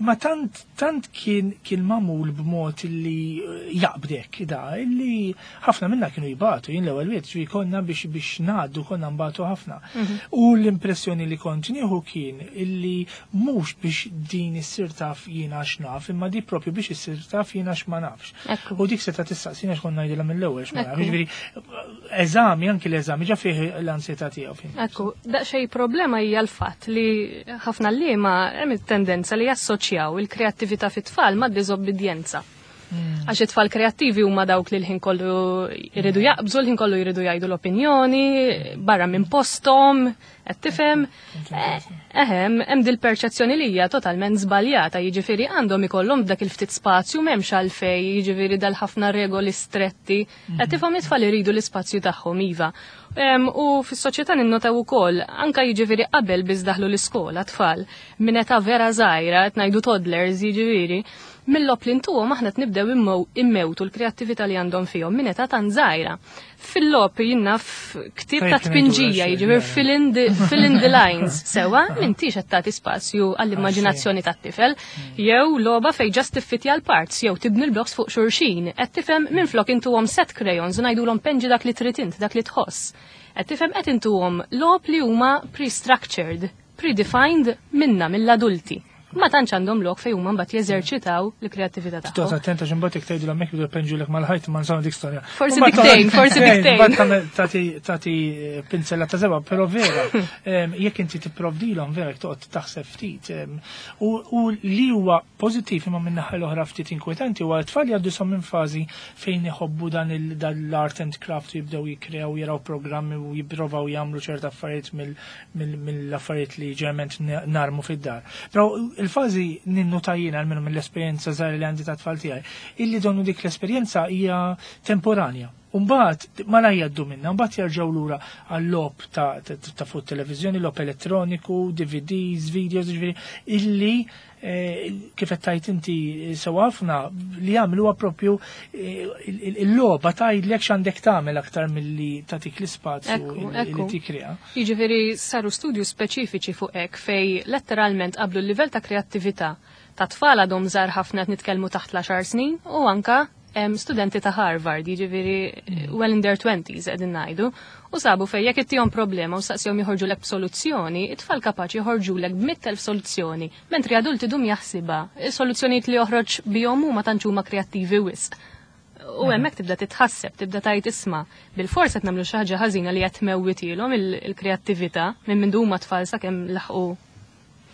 Ma tant tant kien kien magħmul b'mod illi jaqbdek da illi ħafna minna kienu jibatu. Jien l-ewwel wieħed, ġifieri konna biex biex ngħaddu konna nbatu ħafna. Mhm. U l-impressjoni li kont nieħu kien illi mhux biex din issir taf jiena x'naf, imma di propju biex issir taf jiena x'ma nafx. U dik seta' tistaqsina x'konna ngħidilha mill-ewwel x'ma nafx. Ġifieri eżami, anki l-eżami ġa fih l-ansjetà tiegħu. Ekku, daqsxejn problema hija l-fatt li ħafna għalliema hemm it-tendenza li jassoċjaw il-kreattività fit-tfal ma' diżobbidjenza. Għax it-tfal kreattivi huma dawk li l-ħin kollu jridu jaqbżu, l-ħin kollu jridu jgħidu l-opinjoni, barra minn posthom, qed tifhem. Ehem, hemm dil-perċezzjoni li hija totalment żbaljata, jiġifieri għandhom ikollhom dak il-ftit spazju m'hemmx għalfejn, jiġifieri dal-ħafna regoli stretti. Qed tifhem it-tfal iridu l-ispazju tagħhom iva. U fis-soċjetà ninnotaw ukoll anke jiġifieri qabel biss daħlu l-iskola tfal minn età vera żgħira qed ngħidu toddlers jiġifieri, mill-logħob li ntuhom aħna qed nibdew immewtu l-kreattività li għandhom fihom minn età tant żgħira. Fil-logħob jien naf ktieb ta' tpinġija, jiġifieri fill in the, fill in the lines, sewwa m'intix qed tagħti spazju għall-immaġinazzjoni tat-tifel, jew logħba fejn just tiffitja l-parts jew tibni l-blocks fuq xulxin, qed tifhem minflok intuhom set crayons u ngħidulhom penġi dak li trid int, dak li tħoss. Qed tifhem qed intuhom logħob li huma pre-structured, predefined minna mill-adulti. Ma tantx għandhom lok fejn huma mbagħad jeżerċitaw l-kreattività tagħhom. Toqgħod attenta għax imbagħad jekk tgħidu hemmhekk jibdew jpenġulek mal-ħajt ma nżomma dik storja. Forsi diktejn, forsi diktejn. Mbagħad tagħti tagħti pinzella ta' żebgħa, però vera, jekk inti tipprovdilhom vera jekk toqgħod taħseb ftit. U li huwa pożittiv imma minn naħa l-oħra ftit inkwetanti huwa t-tfal jgħaddu som minn fażi fejn iħobbu dan l-art and craft jibdew jikkrew jaraw programmi u jipprovaw jagħmlu ċerta affarijiet mill-affarijiet li ġeneralment narmu fid-dar. Però il-fażi ninnuta jiena almenu mill-esperjenza żgħira li għandi ta' tfal tiegħi, illi donnu dik l-esperjenza hija temporanja. Umbagħad ma la jgħaddu minna, mbagħad jerġgħu lura għal-logħob ta', ta, ta fuq televiżjoni, logħob elettroniku, D V Ds, videos, ġifieri, illi eh, kif qed tgħid inti sew ħafna li jagħmluha propju il-logħba tgħidlek x'għandek tagħmel aktar milli tagħtik l-ispazju li tikkrea. Jiġifieri saru studju speċifiċi fuq hekk fej letteralment qablu l-livell ta' kreattività ta' tfal għadhom żgħar ħafna qed nitkellmu taħt l-għaxar snin u anka studenti ta' Harvard, jiġifieri well in their twenties qegħdin ngħidu, u sabu fejn jekk ittihom problema u saqsihom joħorġulek b'soluzzjoni, it-tfal kapaċi joħorġulek b'mitt elf soluzzjoni, mentri adulti dum jaħsibha, is-soluzzjonijiet li joħroġ bihom huma tantx huma kreattivi wisq. U hemmhekk tibda titħasseb, tibda tgħid isma' bil-fors qed nagħmlu xi ħaġa ħażina li qed tmewwitilhom il-kreattività minn mindu huma tfal sakemm laħqu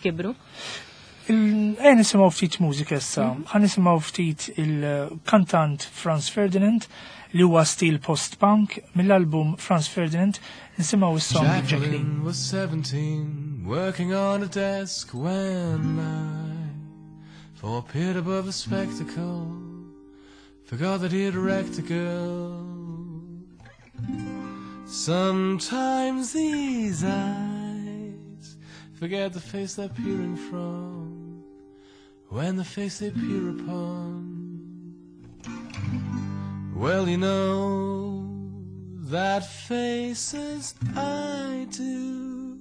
kibru. Ejja nisimgħu ftit mużika issa. Ħa nisimgħu ftit il-kantant Franz Ferdinand li huwa stil post-punk mill-album Franz Ferdinand nisimgħu is-song Jacqueline. Was seventeen, working on a desk when I for appeared above a spectacle, forgot that he had wrecked a girl. Sometimes these eyes forget the face they're peering from, when the face they peer upon. Well, you know that face as I do,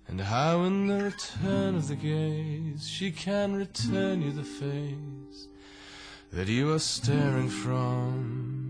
and how in the return of the gaze she can return you the face that you are staring from.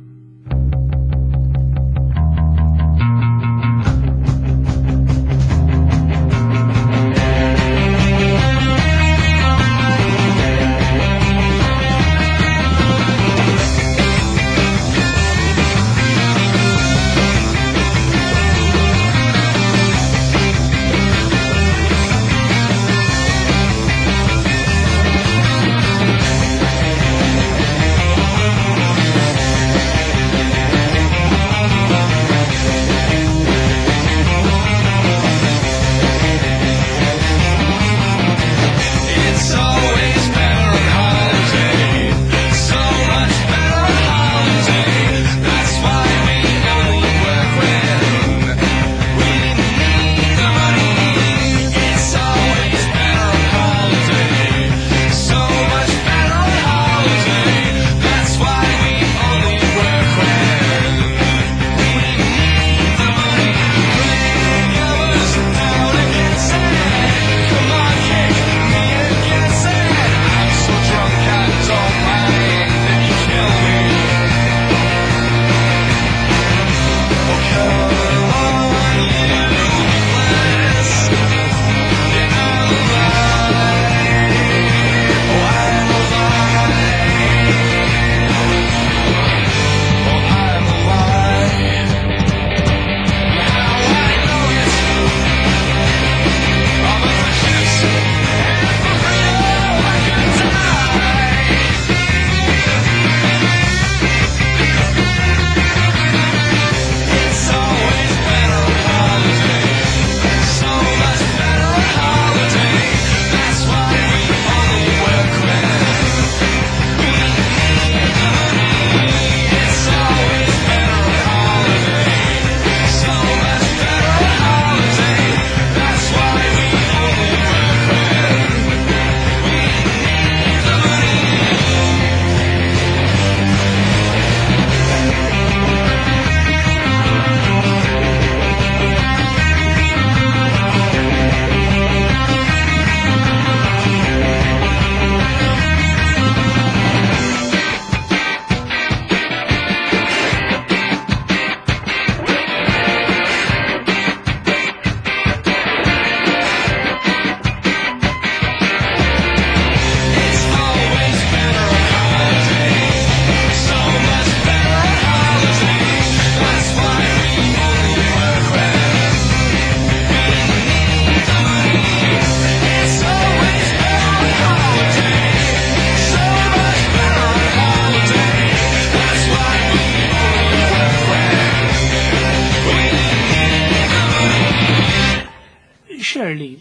Shirley,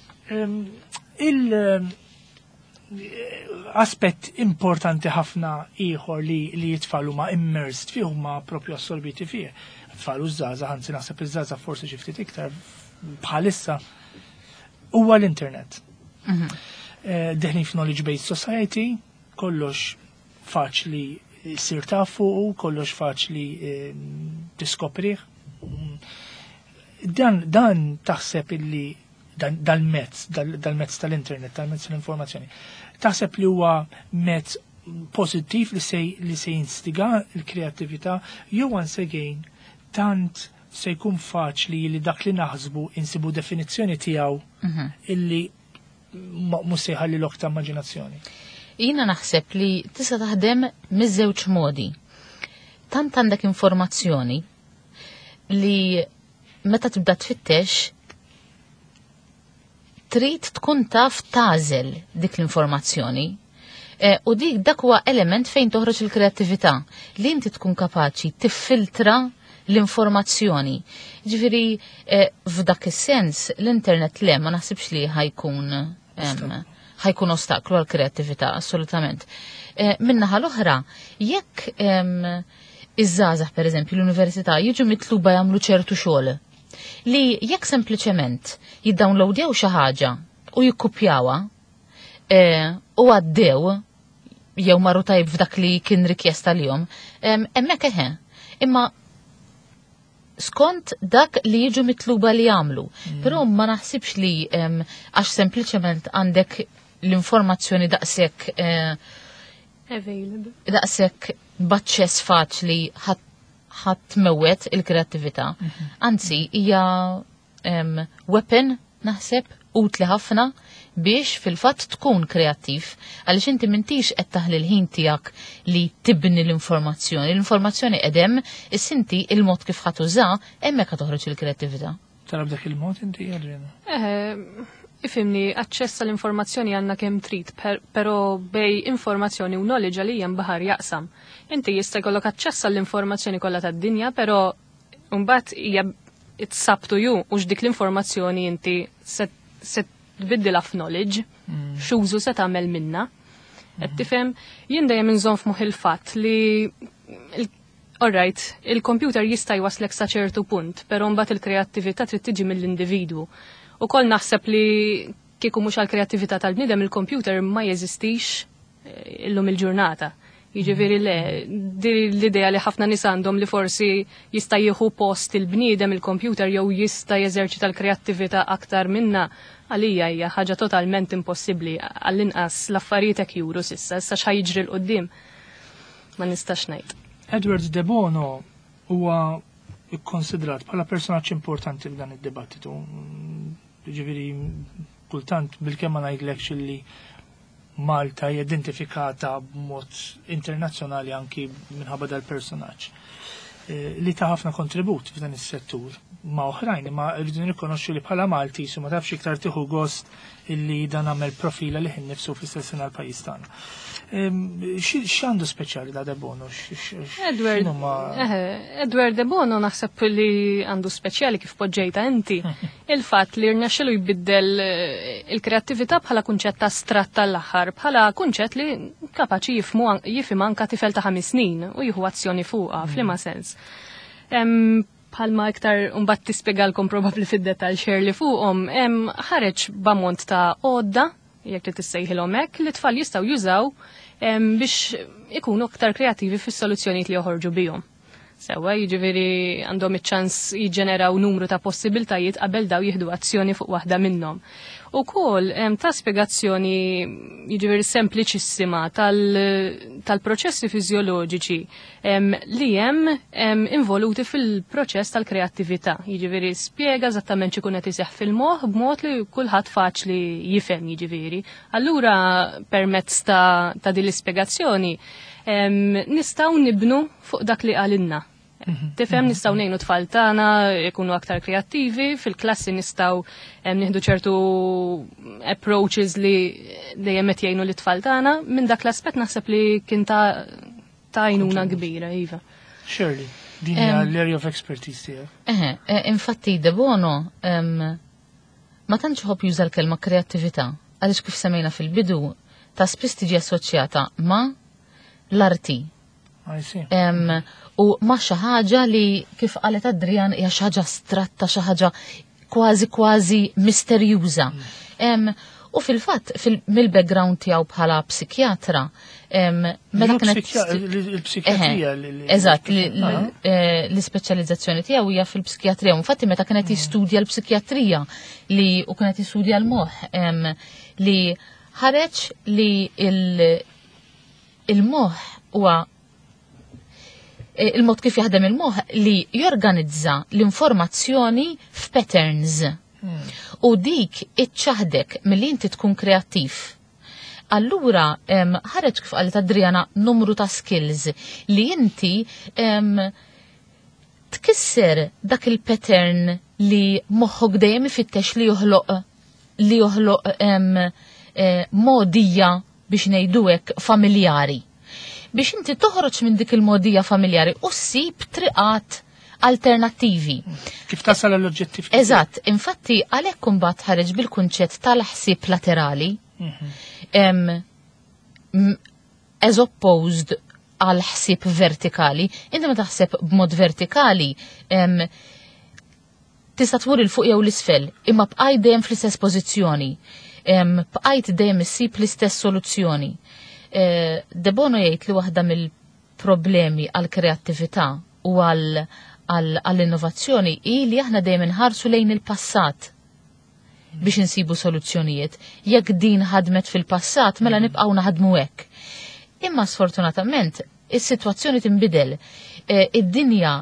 il- aspett importanti ħafna ieħor li li t-tfal huma immersed fih, huma propju assorbiti fih. Tfal u żgħażagħ, anzi naħseb iż-żgħażagħ forsi xi ftit iktar bħalissa, huwa l-internet. Mhm. Eh, deħlin f'knowledge based society, kollox faċli sir taf fuqu, kollox faċli eh, tiskoprih. Dan, dan taħseb illi dal-mezz, dal-mezz tal-internet, dal-mezz tal-informazzjoni, taħseb li huwa mezz pozittiv li se li se jinstiga l-kreattività jew once again tant se jkun faċli li dak li naħsbu insibu definizzjoni tiegħu mhm. illi mhux se jħalli lok ta' immaġinazzjoni? Jiena naħseb li tista' taħdem miż-żewġ modi. Tant għandek informazzjoni li meta tibda tfittex trid tkun taf tagħżel dik l-informazzjoni. E, u dik dak huwa element fejn toħroġ il-kreattività li inti tkun kapaċi tiffiltra l-informazzjoni. Ġifieri e, f'dak is-sens l-internet le ma naħsibx li ħa jkun ħa jkun ostaklu għal kreattività assolutament. E, Min-naħa l-oħra, jekk iż-żgħażagħ, per eżempju, l-università jiġu mitluba jagħmlu ċertu xogħol li jekk sempliċement jiddownloadjaw xi ħaġa u jikkupjawha e, u għaddew jew marru tajb f'dak li kien rikjesta lilhom, hemmhekk eħe. Imma skont dak li jiġu mitluba li jagħmlu. Mm. Però ma naħsibx li għax sempliċement għandek l-informazzjoni daqshekk eh, available. Daqshekk b'aċċess faċli ħa tmewwet il-kreattività. Mhm. Anzi, hija weapon naħseb utli ħafna biex fil-fatt tkun kreattiv, għaliex inti m'intix qed taħli l-ħin tiegħek li tibni l-informazzjoni. L-informazzjoni qedem, is-sinti il-mod kif ħa tuża, hemmhekk toħroġ il-kreattività. Tara b'dak il-mod inti, Adriana? Eh, ifhimni, aċċess għall-informazzjoni għandna kemm trid, però bejn informazzjoni u knowledge għalija baħar jaqsam. Inti jista' jkollok aċċess għall-informazzjoni kollha tad-dinja, però mbagħad hija it's up to you u dik l-informazzjoni inti se tbiddilha f'knowledge, mm. x'użu se tagħmel minna. Qed mm. tifhem, jien dejjem inżomm f'moħħ il-fatt li alright, il-computer jista' jwaslek sa ċertu punt, però mbagħad il-kreattività trid tiġi mill-individwu. Ukoll naħseb li kieku mhux għall-kreattività tal-bniedem il-computer ma jeżistix eh, illum il-ġurnata. Jiġifieri le, l-idea li ħafna nies għandhom li forsi jista' jieħu post il-bniedem il-computer jew jista' jeżerċita l-kreattività aktar minna, għalija hija ħaġa totalment impossibbli, għall-inqas l-affarijiet hekk juru s'issa, issa x'ħa jiġri 'l quddiem ma nistax ngħid. Edward De Bono huwa ikkonsidrat bħala personaġġ importanti f'dan id-dibattitu. Ġifieri kultant bil-kemm ma ngħidlekx li Malta identifikata b'mod internazzjonali anki minħabba dal-personaġġ eh, li ta' ħafna kontribut f'dan is-settur ma' oħrajn, imma rridu nirrikonoxxu li bħala Malti su ma tafx iktar tieħu gost illi dan għamel profila li ħin nifsu fl-istess sena l-pajjiż tagħna. X'għandu speċjali da De Bono? Edward, Edward De Bono naħseb li għandu speċjali kif poġġejta inti. Il-fatt li rnexxielu jbiddel eh, il-kreattività bħala kunċett astratt tal-aħħar, bħala kunċett li kapaċi jifmu jifhem anka tifel ta' ħames snin u jieħu azzjoni fuqha, f'liema sens. Bħalma iktar mbagħad tispjegalkom probabbli fid-dettall li fuqhom, ħareġ b'ammont ta' għodda, jekk li tissejħilhom hekk, li tfal jistgħu jużaw biex ikunu aktar kreativi fis-soluzzjonijiet li joħorġu bihom. Sewwa, jiġifieri għandhom iċ-ċans jiġġeneraw numru ta' possibiltajiet qabel daw jieħdu azzjoni fuq waħda minnhom. Ukoll ta' spjegazzjoni, jiġifieri, sempliċissima tal-proċessi fiżjoloġiċi li hemm involuti fil-proċess tal-kreattività. Jiġifieri spjega eżattament x'ikun qed iseħħ fil-moħħ b'mod li kulħadd faċli jifhem jiġifieri. Allura permezz ta', ta din l-ispjegazzjoni nistgħu nibnu fuq dak li qalilna. Mhm. Tifhem, nistgħu ngħinu tfal tagħna jkunu aktar kreattivi, fil-klassi nistgħu nieħdu ċertu approaches li dejjem qed jgħinu lit-tfal tagħna. Minn dak l-aspett naħseb li kien ta' ta' għajnuna kbira, iva. Shirley, din hija l-area of expertise tiegħek. Eħe, eh, infatti De Bono ma Ma tantx iħobb juża l-kelma kreattività, għaliex kif semmejna fil-bidu ta' spiss tiġi assoċjata ma' l-arti. I see. Em, u ma' xi ħaġa li kif qalet Adrian hija xi ħaġa astratta, xi ħaġa kważi kważi misterjuża. Em, u fil-fatt fil mill-background tiegħu bħala psikjatra, em, meta Li kienet psikja- Il-psikjatrija. li- li- Eżatt, li- Ah. li- eh, l-ispeċjalizzazzjoni tiegħu hija fil-psikjatrija. Infatti meta kienet jistudja l-psikjatrija li u kienet jistudja l-moħħ em, li ħareġ li il- il-moħħ huwa eh, il-mod kif jaħdem il-moħħ li jorganizza l-informazzjoni f'patterns. U dik iċċaħdek milli inti tkun kreattiv. Allura, em, ħareġ kif qalet Adriana numru ta' skills li inti em, tkisser dak il-pattern li moħħok dejjem ifittex li joħloq li joħloq em, eh, modija biex ngħidu hekk familjari. Biex inti toħroġ minn dik il-modija familjari u ssib triqat alternattivi. Kif tasal l-oġġettiv? Eżatt, infatti għalhekk imbagħad ħareġ bil-kunċett tal-ħsieb laterali. Em, m- as opposed għal ħsieb vertikali. Inti ma taħseb b'mod vertikali, em, tista' tmur 'il fuq jew l-isfel, imma bqajt dejjem fl-istess pożizzjoni. Em, Bqajt dejjem issib l-istess soluzzjoni. Eh, De Bono jgħid li waħda mill-problemi għal kreattività u għal għall-innovazzjoni hi li aħna dejjem inħarsu lejn il-passat biex insibu soluzzjonijiet. Jekk din ħadmet fil-passat, mela nibqgħu naħdmu hekk. Imma sfortunatament is-sitwazzjoni tinbidel. Eh, Id-dinja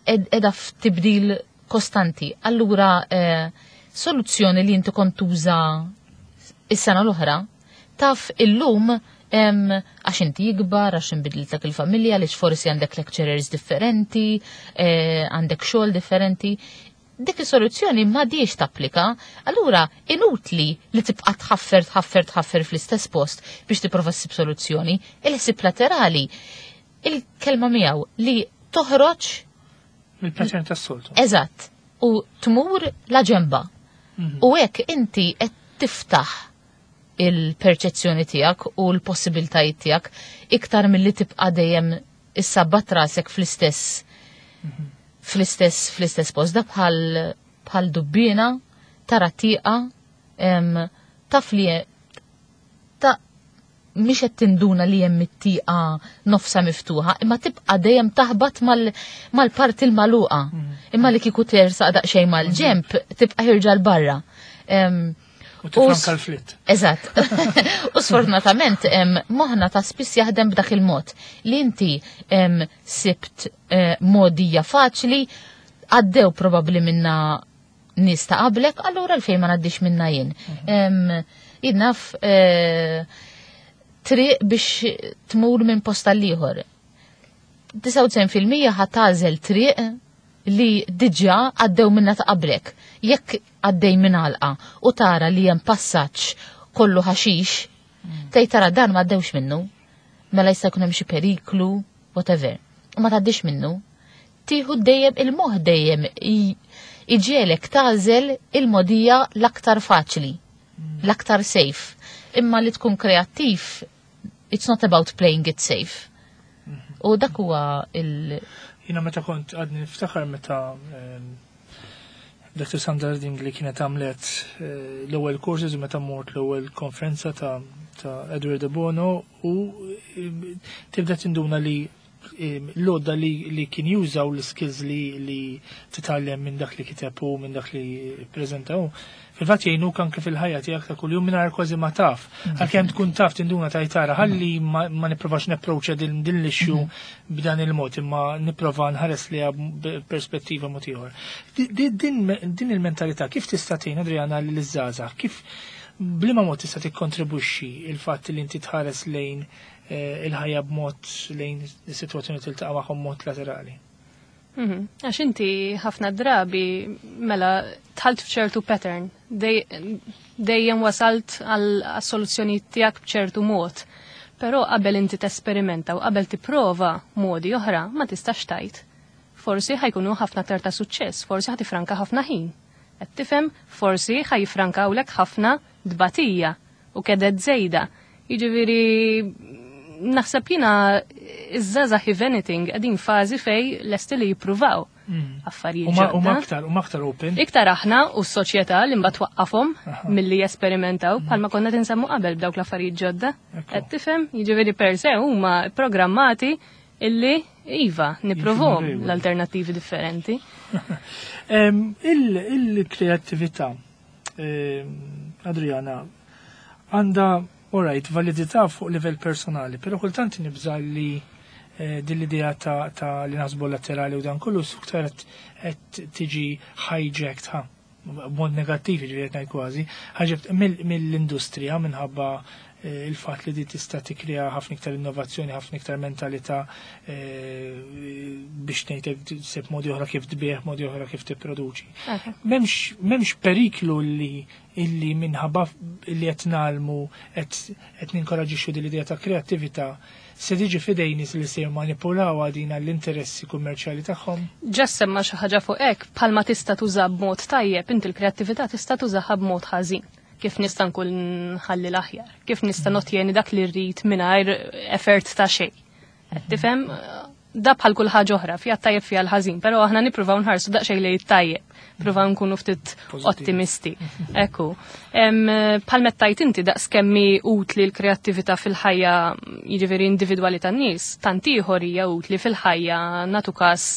ed- edha f'tibdil kostanti. Allura eh, soluzzjoni li inti kont tuża is-sena l-oħra, taf illum em, għax inti jikbar, għax inbidlitlek il-familja, għaliex forsi għandek lecturers differenti, eh, għandek xogħol differenti. Dik is-soluzzjoni m'għadhiex tapplika, allura inutli li tibqa' tħaffer, tħaffer, tħaffer fl-istess post biex tipprova ssib soluzzjoni. Il-ħsieb laterali, il-kelma miegħu li toħroġ Mill-pattern tas-soltu. Eżatt, u tmur la ġemba. U hekk inti qed tiftaħ il-perċezzjoni tiegħek u l-possibiltajiet tiegħek iktar milli tibqa' dejjem issabbat rasek fl-istess fl-istess fl-istess post. Da bħal bħal dubbina tara tieqa em, taf li ta' mhix qed tinduna li hemm it-tieqa nofsa miftuħa, imma tibqa' dejjem taħbat mal- mal-parti l-magħluqa. Imma li kieku tersaq daqsxejn mal-ġemp tibqa' ħierġa 'l barra. Em, U tifranka s- l-flit. Eżatt. U sfortunatament em, moħna ta' spiss jaħdem b'dak il-mod li inti em, sibt eh, modija faċli għaddew probabli minna nies ta' qablek, allura l-fejn ma ngħaddix minna jien. Em, Jien naf eh, triq biex tmur minn post għal ieħor. disgħa u disgħin fil-mija ħa tagħżel triq li diġà għaddew minna ta' qablek. Jekk għaddej minn għalqa u tara li hemm passaġġ kollu ħaxix, tgħid tara dan ma għaddewx minnu. Mela jista' jkun hemm xi periklu, whatever. U ma tgħaddix minnu. Tieħu dejjem il-moħħ dejjem i- iġiegħlek tagħżel il-modija l-aktar faċli, l-aktar safe. Imma li tkun kreattiv, it's not about playing it safe. U dak huwa il- Jiena meta kont għadni niftakar meta ehm, Doctor Sandra Ding li kienet għamlet eh, l-ewwel courses u meta mort l-ewwel konferenza ta' ta' Edward de Bono u eh, tibda tinduna li eh, l-għodda li, li kien jużaw l-skills li, li titgħallem minn dak li kiteb u minn dak li prezentaw. Fil-fatt jgħinuk anke fil-ħajja tiegħek ta' kuljum mingħajr kważi ma taf. Għalkemm tkun taf tinduna ta' jtara ħalli ma, ma nipprovax napproċċja din, din l-issue b'dan il-mod imma nipprova nħares li perspettiva mod ieħor. Di- di- Din, din il-mentalità kif tista' tgħin Adriana liż-żgħażagħ? Kif b'liema mod tista' tikkontribwixxi il-fatt li inti tħares lejn eh, il-ħajja b'mod lejn is-sitwazzjoni tiltaqa' magħhom mod laterali? Mhm. Għax inti ħafna drabi mela dħalt f'ċertu pattern, Dej- dejjem wasalt għal soluzzjoni tiegħek b'ċertu mod. Però qabel inti tesperimenta u qabel tipprova modi oħra ma tistax tgħid. Forsi ħa jkunu ħafna aktar ta' suċċess, forsi ħa tifranka ħafna ħin. Qed tifhem, forsi ħa jifrankawlek ħafna dbatija u keded żejda. Jiġifieri naħseb jiena iż-żgħażagħ, if anything, qegħdin fażi fejn lesti li jippruvaw mm. affarijiet ġodda. U aktar, u aktar open. Iktar aħna u s-soċjetà li mbagħad twaqqafhom milli jesperimentaw, mm. bħalma konna tinsemmu qabel b'dawk l-affarijiet ġodda. Qed tifhem, jiġifieri per se huma programmati illi iva, nippruvhom l-alternattivi differenti. Il-kreattività, Adriana, għandha, alright, validità fuq livell personali, pero kultant nibża li eh, din l-idea ta', ta li naħsbu laterali u dan kollu iktar qed tiġi hijacked, ha, b'mod negattiv ġifieri ngħid kważi, hijacked mill-industrija minħabba eh, il-fatt li di tista' tikkrea ħafna iktar innovazzjoni, ħafna iktar mentalità eh, biex ngħidlek seb modi oħra kif tbieħ, modi oħra kif tipproduċi. M'hemmx periklu li illi minħabba li qed nagħmlu qed ninkoraġixxu din l-idea ta' kreattività se tiġi f'idejn nies li se jmanipulaw din l-interessi kummerċjali tagħhom? Ġa semma xi ħaġa fuq hekk, bħalma tista' tuża b'mod tajjeb, inti l-kreattività tista' tużaha b'mod ħażin. Kif nista' nkun ħalli l-aħjar, kif nista' notjeni dak li rrid mingħajr effort ta' xejn. Qed tifhem, da bħal kull ħaġa oħra, fiha tajjeb, fiha l-ħażin, però aħna nippruvaw nħarsu daqsxejn lejn tajjeb, pruvaw nkunu ftit ottimisti. Ekku. Bħal mettajt inti, daqs kemmi utli l-kreattività fil-ħajja, jiġifieri individwali tan-nies, tant ieħor hija utli fil-ħajja, natu każ,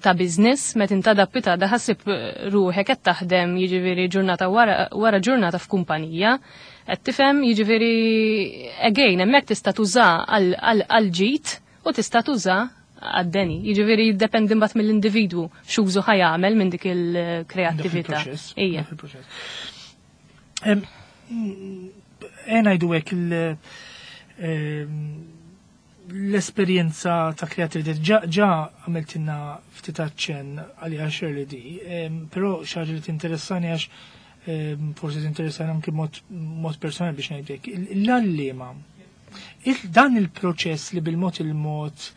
ta' business, meta inta dappita daħasib ruħek qed taħdem, jiġifieri ġurnata wara, wara ġurnata f'kumpanija. Qed tifhem, jiġifieri again hemmhekk tista' tuża għal ġid u tista' tuża għad-deni. Jiġifieri jiddependi mbagħad mill-individwu x'użu ħa jagħmel minn dik il-kreattività. Ija. Ena ngħidu hekk, l-esperjenza ta' kreattività ġa għamiltilna ftit aċċenn għaliha Shirley di, però xi ħaġa li tinteressani, għax forsi tinteressani anke mod personali biex ngħidlek. L-għalliema, dan il-proċess li bil-mod il-mod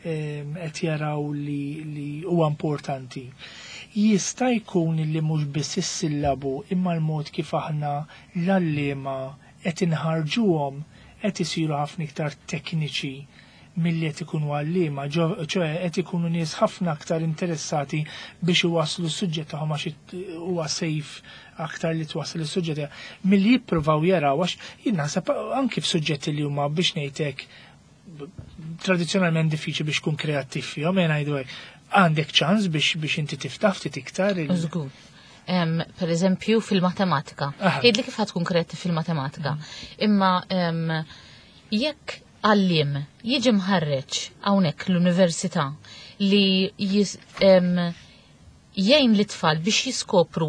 qed jaraw li huwa importanti. Jista' jkun li mhux biss is-sillabu imma l-mod kif aħna l-għalliema qed inħarġuhom qed isiru ħafna iktar tekniċi milli qed ikunu għalliema, ċoè qed ikunu nies ħafna aktar interessati biex iwasslu s-suġġett tagħhom għax huwa safe aktar li twassal is-suġġett milli jippruvaw jaraw, għax jien naħseb anki f'suġġetti li huma, biex ngħidlek, tradizzjonalment diffiċli biex tkun kreattiv fihom, jien ngħidu hekk, għandek ċans biex biex inti tiftaħ ftit iktar. Żgur. Per eżempju fil-matematika. Għidli kif tkun kreattiv fil-matematika. Imma jekk għalliem jiġi mħarreġ hawnhekk l-università li jgħin l-tfal biex jiskopru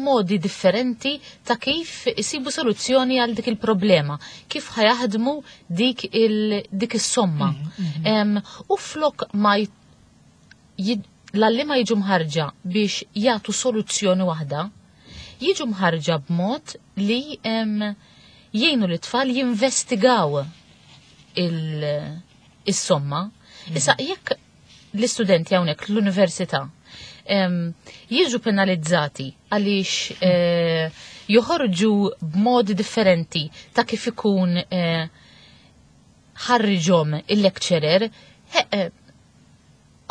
modi differenti ta' kif isibu soluzzjoni għal dik il-problema, kif ħa jaħdmu dik il dik is-somma. Mm -hmm. U flok ma l-għalliema jiġu mħarġa biex jagħtu soluzzjoni waħda, jiġu mħarġa b'mod li jgħinu l-tfal jinvestigaw il-somma. Mm. Issa, jekk l-istudenti hawnhekk l-università jiġu penalizzati għaliex eh, joħorġu b'modi differenti ta' kif ikun eh, ħarriġhom il-lecturer, eh,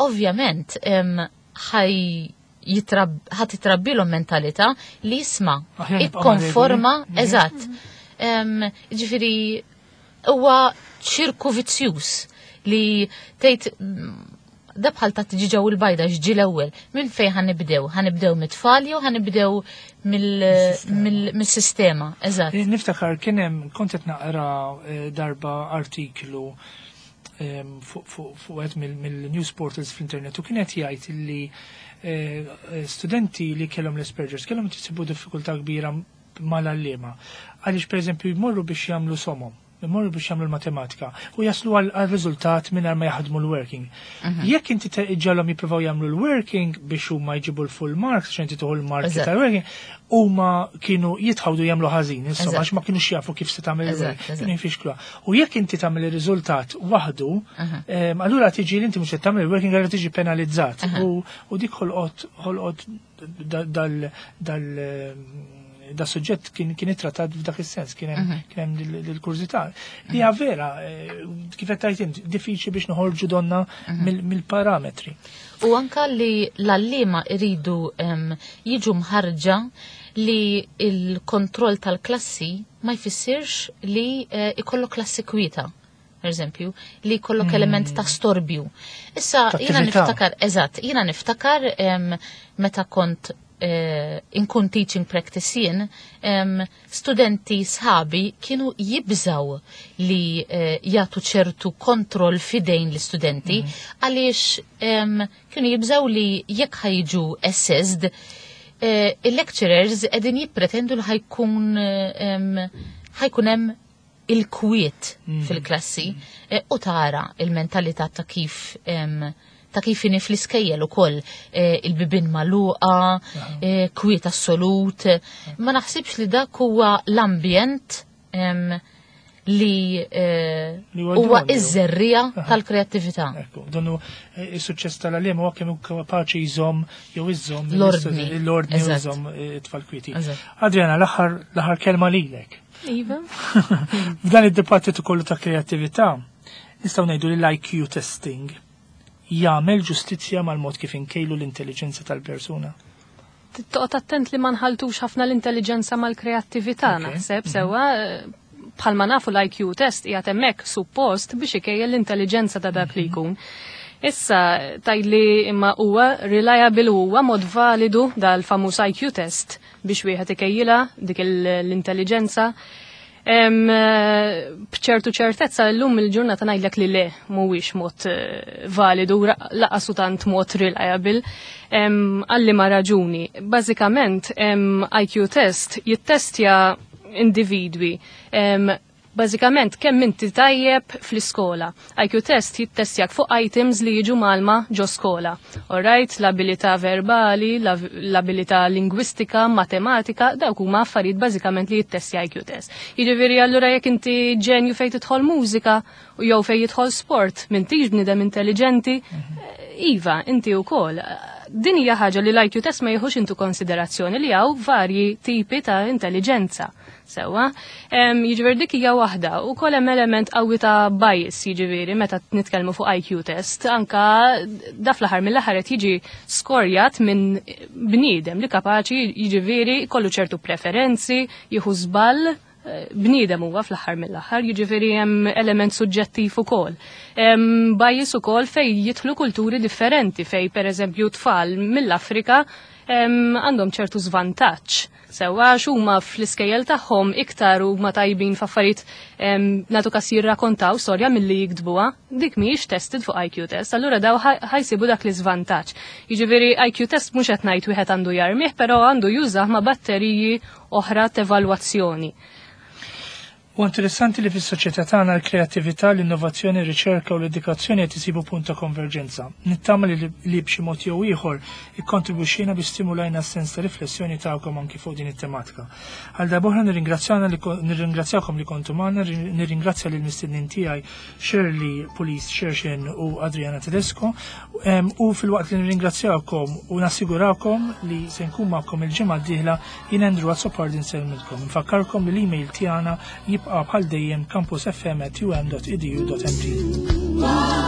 ovvjament ħaj ħa titrabbilhom mentalità li jisma' ikkonforma, eżatt. Ġifieri huwa ċirku vizzjuż li tgħid da bħal ta' tiġiġa u l-bajda, x'ġie l-ewwel. Minn fejn ħa nibdew? Ħa nibdew mit-tfal jew ħa nibdew mill-sistema? Eżatt. Eh, niftakar kien hemm, kont qed naqra eh, darba artiklu fuq wieħed mill-news portals fl-internet u kienet jgħid li eh, studenti li kellhom l-Asperger's kellhom jsibu diffikultà kbira mal-għalliema. Għaliex, pereżempju, jmorru biex jagħmlu somom. Imorru biex jagħmlu l-matematika u jaslu għal riżultat mingħajr ma jaħdmu l-working. Mhm. Jekk inti iġġagħalhom jippruvaw jagħmlu l-working biex huma jġibu l-full marks, għax inti tieħu l-marki Eżatt. tal-working, huma kienu jitħawdu jagħmlu ħażin, insomma, Eżatt. għax ma kienux jafu kif se tagħmel Eżatt, il-working. eżatt. Kienu jfixkluha. U jekk inti tagħmel ir-riżultat waħdu, em, allura tiġi li inti mhux qed tagħmel il-working, allura tiġi penalizzat. U u dik ħolqot ħolqot da- dal dal da suġġett kien kien ittrattat f'dak is-sens, kien hemm kien hemm dil- dil-kurżità. Li hija vera, eh, kif qed tgħid int, diffiċli biex noħorġu donna mill- mill-parametri. U anka li l-għalliema iridu em, jiġu mħarġa li il-kontroll tal-klassi ma jfissirx li eh, ikollok klassi kwieta. Per eżempju, li jkollok element ta' storbju. Issa, Ta' jiena attività. niftakar, eżatt, jiena niftakar em, meta kont eh, inkun teaching practice jien, em, studenti sħabi kienu jibżaw li eh, jagħtu ċertu kontroll fidejn l-istudenti għaliex em, kienu jibżaw li jekk ħa jiġu assessed, eh, il-lecturers qegħdin jippretendu li ħa jkun em, ħa jkun hemm il-kwiet fil-klassi eh, u tara il-mentalità ta' kif em, ta' kif inhi fl-iskejjel ukoll eh, il-bibien magħluqa, eh, kwiet assolut. Ma naħsibx li dak huwa l-ambjent em, li eh, Li huwa huwa idoneu. iż-żerriegħa tal-kreattività. Ekku, donnu eh, is-suċċess tal-għalliem huwa kemm hu kapaċi jżomm jew iżomm L-ordni. l-ordni u Eżatt. jżomm eh, it-tfal kwieti. Eżatt. Adriana, l-aħħar l-aħħar kelma lilek. Iva. F'dan id-dibattitu kollu ta' kreattività, nistgħu ngħidu li l-I Q testing jagħmel ġustizzja mal-mod kif inkejlu l-intelligenza tal-persuna. Toqgħod attent li ma nħaltux ħafna l-intelligenza mal-kreattività. Ok. Naħseb sewwa eh, bħalma nafu l-I Q test qiegħed hemmhekk suppost biex ikejjel l-intelligenza ta' dak li jkun. Issa tgħidli imma huwa reliable, huwa mod validu dal-famuż I Q test biex wieħed ikejjilha dik l-intelligenza? Em, eh, B'ċertu ċertezza llum il-ġurnata ngħidlek li le, mhuwiex mod eh, validu, ra- lanqas u tant mod reliable. Em, Għal liema raġuni. Bażikament em, I Q test jittestja individwi. Em, Bażikament kemm inti tajjeb fl-iskola. I Q test jittestjak fuq items li jiġu mgħallma ġo skola. Alright, l-abilità verbali, l-abilità lingwistika, matematika, dawk huma affarijiet bażikament li jittestja I Q test. Jiġifieri allura jekk inti ġenju fejn tidħol mużika u jew fejn jidħol sport, m'intix bniedem intelligenti, iva, inti wkoll. Din hija ħaġa li l-I Q test ma jieħux into konsiderazzjoni li hawn varji tipi ta' intelligenza. Sewwa, Em, jiġifieri dik hija waħda u kol hemm element qawwi ta' bias, jiġifieri meta nitkellmu fuq I Q test, anka da fl-aħħar mill-aħħar qed jiġi skorjat minn bniedem li kapaċi jiġifieri kollu ċertu preferenzi, jieħu żball, eh, bniedem huwa fl-aħħar mill-aħħar, jiġifieri hemm element suġġettiv ukoll. Hemm bias ukoll fej jidħlu kulturi differenti, fej pereżempju tfal mill-Afrika em, għandhom ċertu żvantaġġ. Sewwa għax huma fl-iskejjel tagħhom iktar huma tajbin f'affarijiet em, nagħtu kas jirrakontaw storja milli jiktbuha, dik mhijiex tested fuq I Q test, allura daw ħa- ħa jsibu dak l-iżvantaġġ. Jiġifieri I Q test mhux qed ngħid wieħed għandu jarmih, però għandu jużah ma' batteriji oħra t'evalwazzjoni. U interessanti li fis-soċjetà tagħna l-kreattività, l-innovazzjoni, r-riċerka u l-edukazzjoni qed isibu punt ta' konverġenza. Nittama li, li b'xi mod jew ieħor ikkontribwixxejna biex stimulajna s-sens ta' riflessjoni tagħkom anki fuq din it-tematika. Għal darb'oħra nirringrazzjana li ko- nirringrazzjakom li kontu magħna, nirringrazzja lil mistednin tiegħi Shirley Police Xerxen u Adriana Tedesco em, u filwaqt li nirringrazzjakom u nassigurakom li se nkun magħkom il-ġimgħa d-dieħla, jien Andrew Azzopardi nsellmilkom. Nfakkarkom li l-email tiegħna jibqa' bħal dejjem campusfm at u m dot e d u dot m t.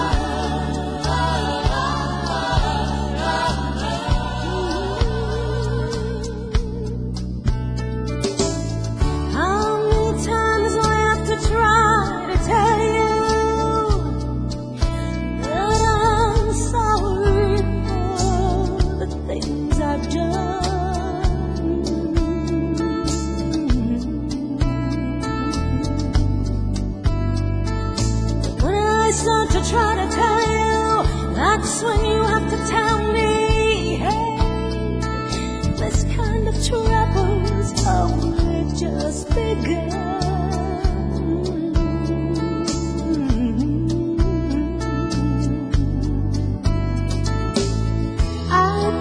How many times I have to try to tell you that I'm sorry for the things I've done. But when I start to try to tell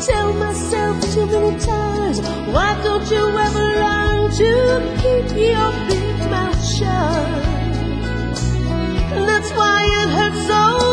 tell myself too many times, why don't you ever learn to keep your big mouth shut? That's why it hurts so